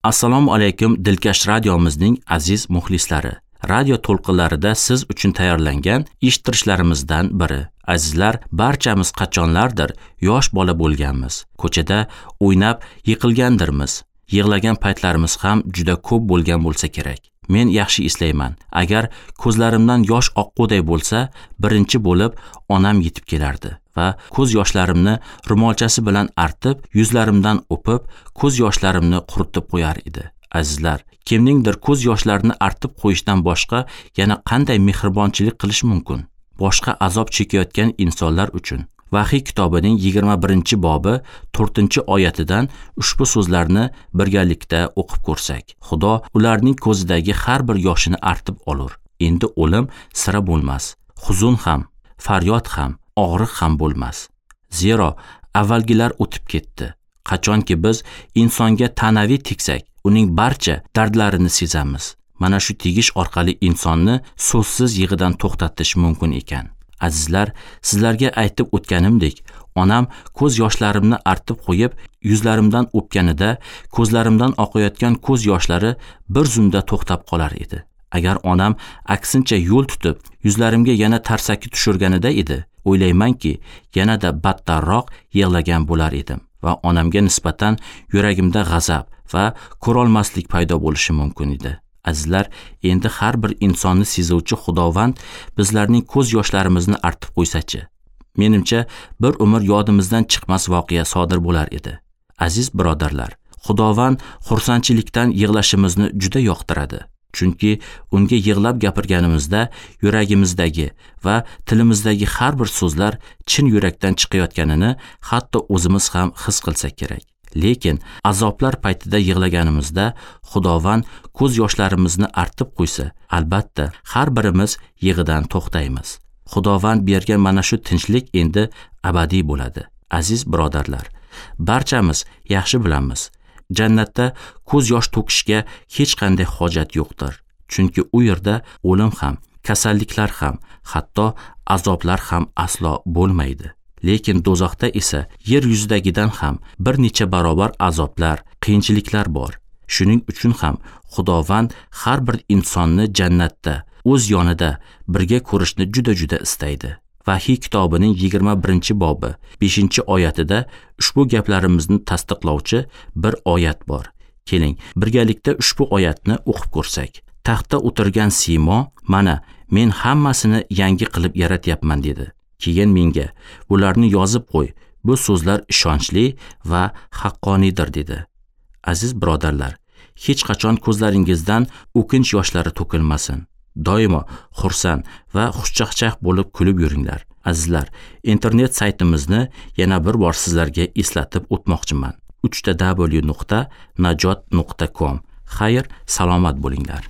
Assalomu alaykum Dilkash radiomizning aziz muxlislari. Radio to'lqinlarida siz uchun tayyorlangan eshittirishlarimizdan biri. Azizlar, barchamiz qachonlardir yosh bola bo'lganmiz. Ko'chada o'ynab yiqilgandirmiz. Yig'lagan paytlarimiz ham juda ko'p bo'lgan bo'lsa kerak. Men yaxshi eslayman. Agar ko'zlarimdan yosh oqquday bo'lsa, birinchi bo'lib onam yetib kelardi va ko'z yoshlarimni ro'molchasi bilan artib, yuzlarimdan o'pib, ko'z yoshlarimni quritib qo'yar edi. Azizlar, kimningdir ko'z yoshlarini artib qo'yishdan boshqa yana qanday mehribonchilik qilish mumkin? Boshqa azob chekayotgan insonlar uchun. Vahiy kitobining 21-bobi 4-oyatidan ushbu so'zlarni birgalikda o'qib ko'rsak. Xudo ularning ko'zidagi har bir yoshini artib olur. Endi o'lim sira bo'lmas. Huzun ham, faryod ham, og'riq ham bo'lmas. Zero avvalgilar o'tib ketdi. Qachonki biz insonga ta'naviy tegsak, uning barcha dardlarini sezamiz. Mana shu tegish orqali insonni so'zsiz yig'idan to'xtatish mumkin ekan. Azizlar, sizlarga aytib o'tganimdek, onam ko'z yoshlarimni artib qo'yib, yuzlarimdan o'pganida ko'zlarimdan oqayotgan ko'z yoshlari bir zumda to'xtab qolar edi. Agar onam aksincha yo'l tutib, yuzlarimga yana tarsaki tushirganida edi, o'ylaymanki, yanada battarroq yig'lagan bo'lar edim va onamga nisbatan yuragimda g'azab va ko'rolmaslik paydo bo'lishi mumkin edi. Azizlar, endi har bir insonni sezuvchi Xudovand bizlarning ko'z yoshlarimizni artib qo'ysachi, menimcha bir umr yodimizdan chiqmas voqea sodir bo'lar edi. Aziz birodarlar, Xudovand xursandchilikdan yig'lashimizni juda yoqtiradi. Chunki unga yig'lab gapirganimizda yuragimizdagi va tilimizdagi har bir so'zlar chin yurakdan chiqayotganini hatto o'zimiz ham his qilsak kerak. Lekin azoblar paytida yig'laganimizda Xudovand ko'z yoshlarimizni artib qo'ysa, albatta har birimiz yig'idan to'xtaymiz. Xudovand bergan mana shu tinchlik endi abadiy bo'ladi. Aziz birodarlar, barchamiz yaxshi bilamiz, jannatda ko'z yosh to'kishga hech qanday hojat yo'qdir. Chunki u yerda o'lim ham, kasalliklar ham, hatto azoblar ham aslo bo'lmaydi. Lekin do'zaxda esa yer yuzidagidan ham bir necha barobar azoblar, qiyinchiliklar bor. Shuning uchun ham Xudovand har bir insonni jannatda, o'z yonida birga ko'rishni juda-juda istaydi. Vahiy kitobining 21-bobi 5-oyatida ushbu gaplarimizni tasdiqlovchi bir oyat bor. Keling, birgalikda ushbu oyatni o'qib ko'rsak. Taxtda o'tirgan siymo, mana men hammasini yangi qilib yaratyapman dedi. Keyin menga, bularni yozib qo'y, bu so'zlar ishonchli va haqqoniydir dedi. Aziz birodarlar, hech qachon ko'zlaringizdan o'kinch yoshlari to'kilmasin. Doimo xursand va xushchaqchaq bo'lib kulib yuringlar. Azizlar, internet saytimizni yana bir bor sizlarga eslatib o'tmoqchiman. www.najot.com. Xayr, salomat bo'linglar.